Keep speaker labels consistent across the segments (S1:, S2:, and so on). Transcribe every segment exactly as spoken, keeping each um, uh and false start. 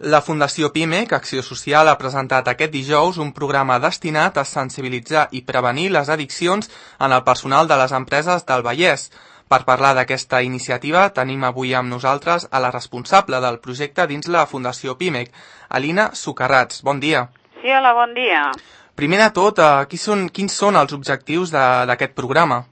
S1: La Fundació PIMEC, Acció Social, ha presentat aquest dijous un programa destinat a sensibilitzar i prevenir les addiccions en el personal de les empreses del Vallès. Per parlar d'aquesta iniciativa tenim avui amb nosaltres a la responsable del projecte dins la Fundació PIMEC, Alina Sucarrats. Bon dia.
S2: Sí, hola, bon dia.
S1: Primer de tot, qui són, quins són els objectius d'aquest programa?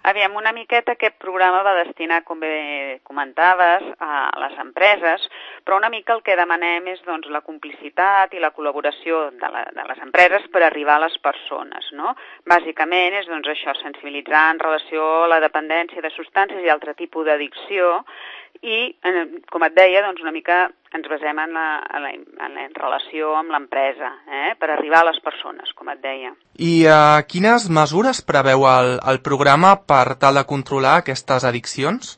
S2: Aviam, una miqueta aquest programa va destinar, com bé comentaves, a les empreses, però una mica el que demanem és doncs, la complicitat i la col·laboració de, la, de les empreses per arribar a les persones, no? Bàsicament és doncs, això, sensibilitzar en relació a la dependència de substàncies i altre tipus d'addicció i, com et deia, doncs, una mica ens basem en la, en la, en la relació amb l'empresa, eh? Per arribar a les persones, com et deia.
S1: I uh, quines mesures preveu el, el programa per tal de controlar aquestes addiccions?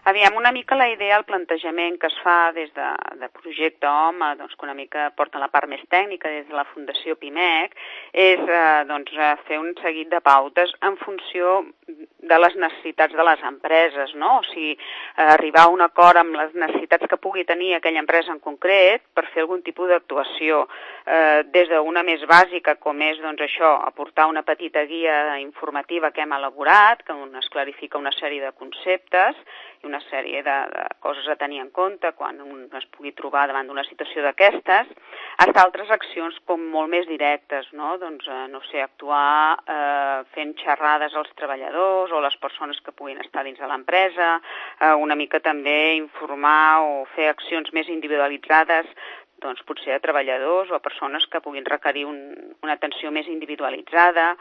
S2: Aviam, una mica la idea, el plantejament que es fa des de, de Projecte Home, doncs, que una mica porta la part més tècnica des de la Fundació PIMEC, és eh, doncs, fer un seguit de pautes en funció de les necessitats de les empreses, no? O sigui, eh, arribar a un acord amb les necessitats que pugui tenir aquella empresa en concret per fer algun tipus d'actuació, eh, des d'una més bàsica, com és doncs, això, aportar una petita guia informativa que hem elaborat, que es clarifica una sèrie de conceptes i una sèrie de, de coses a tenir en compte quan un es pugui trobar davant d'una situació d'aquestes, hasta altres accions com molt més directes, no? Doncs, eh, no sé, actuar eh, fent xerrades als treballadors o les persones que puguin estar dins de l'empresa, eh, una mica també informar o fer accions més individualitzades, doncs potser a treballadors o a persones que puguin requerir un, una atenció més individualitzada.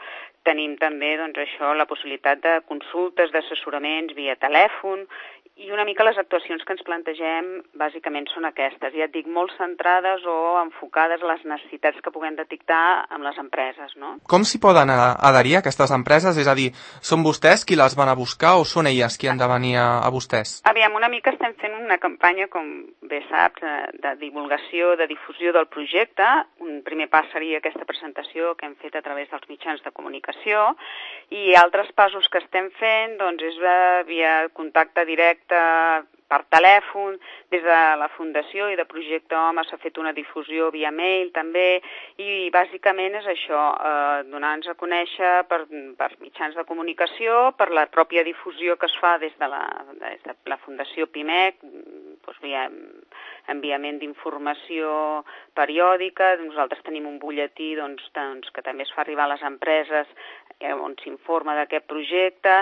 S2: Tenim també doncs, això, la possibilitat de consultes, d'assessoraments via telèfon, i una mica les actuacions que ens plantegem bàsicament són aquestes, ja et dic, molt centrades o enfocades a les necessitats que puguem detectar amb les empreses, no?
S1: Com s'hi poden adherir aquestes empreses? És a dir, són vostès qui les van a buscar o són elles qui han de venir a, a vostès?
S2: Aviam, una mica estem fent una campanya, com bé saps, de divulgació, de difusió del projecte. Un primer pas seria aquesta presentació que hem fet a través dels mitjans de comunicació, i altres passos que estem fent doncs, és via contacte directe per telèfon, des de la Fundació i de Projecte Home s'ha fet una difusió via mail també, i bàsicament és això, eh, donar-nos a conèixer per, per mitjans de comunicació, per la pròpia difusió que es fa des de la, des de la Fundació PIMEC, doncs via enviament d'informació periòdica. Nosaltres tenim un butlletí doncs, doncs, que també es fa arribar a les empreses eh, on s'informa d'aquest projecte,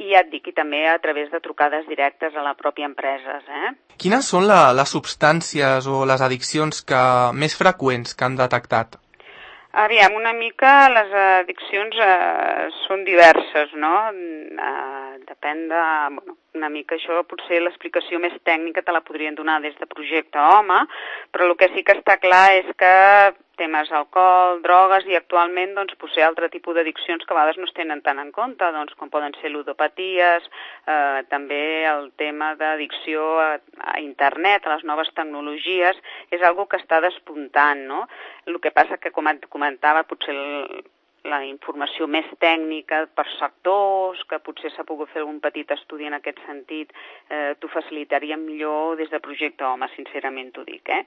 S2: i ja et dic, i també a través de trucades directes a la pròpia empresa. Eh?
S1: Quines són la, les substàncies o les addiccions que, més freqüents que han detectat?
S2: Aviam, una mica les addiccions eh, són diverses, no? Eh, depèn de... Bueno, una mica això, potser l'explicació més tècnica te la podrien donar des de Projecte Home, però el que sí que està clar és que temes alcohol, drogues i actualment doncs, potser altre tipus d'addiccions que a vegades no es tenen tant en compte, doncs, com poden ser ludopaties, eh, també el tema d'addicció a, a internet, a les noves tecnologies, és algo que està despuntant, no? El que passa que, com et comentava, potser el, la informació més tècnica per sectors, que potser s'ha pogut fer algun petit estudi en aquest sentit, eh, t'ho facilitaria millor des de Projecte Home, sincerament t'ho dic, eh?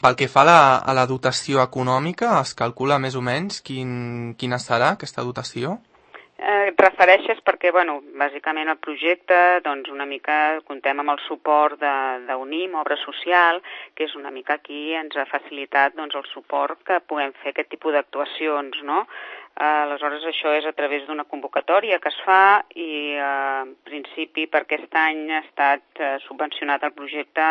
S1: Pel que fa a la, a la dotació econòmica, es calcula més o menys quin, quina serà aquesta dotació?
S2: Eh, et refereixes perquè, bueno, bàsicament el projecte, doncs una mica contem amb el suport d'UNIM, Obra Social, que és una mica aquí ens ha facilitat doncs, el suport que puguem fer aquest tipus d'actuacions, no? Eh, aleshores això és a través d'una convocatòria que es fa i eh, en principi per aquest any ha estat eh, subvencionat el projecte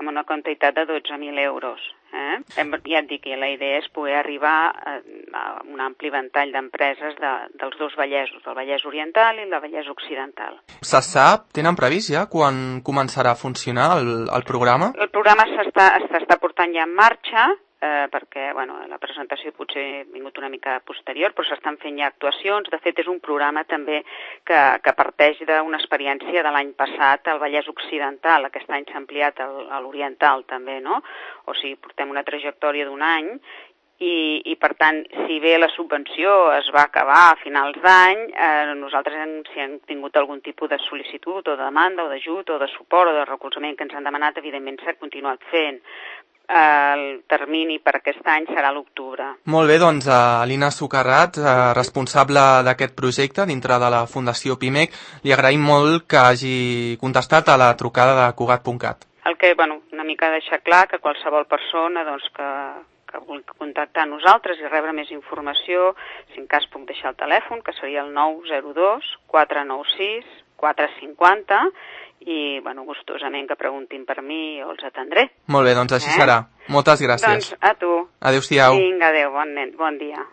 S2: amb una quantitat de dotze mil euros. Eh? Ja et dic que la idea és poder arribar a un ampli ventall d'empreses de, dels dos Vallesos, del Vallès Oriental i el Vallès Occidental.
S1: Se sap, tenen previst ja quan començarà a funcionar el, el programa?
S2: El programa s'està portant ja en marxa, eh, perquè bueno, la presentació potser ha vingut una mica posterior, però s'estan fent ja actuacions. De fet, és un programa també que, que parteix d'una experiència de l'any passat al Vallès Occidental. Aquest any s'ha ampliat al, a l'Oriental també, no? O sigui, portem una trajectòria d'un any i, i per tant, si bé la subvenció es va acabar a finals d'any, eh, nosaltres hem, si hem tingut algun tipus de sol·licitud o de demanda o d'ajut o de suport o de recolzament que ens han demanat, evidentment s'ha continuat fent. el termini per aquest any serà l'octubre.
S1: Molt bé, doncs Alina Socarrats, responsable d'aquest projecte dintre de la Fundació Pimec, li agraïm molt que hagi contestat a la trucada de Cugat punt cat.
S2: El que, bueno, una mica deixar clar que qualsevol persona doncs, que, que vulgui contactar amb nosaltres i rebre més informació, si en cas puc deixar el telèfon, que seria el nou zero dos quatre nou sis quatre cinc zero, i, bueno, gustosament que preguntin per mi o els atendré.
S1: Molt bé, doncs així eh? serà. Moltes gràcies.
S2: Doncs a tu.
S1: Adéu-siau.
S2: Vinga, adéu, bon, nen, bon dia.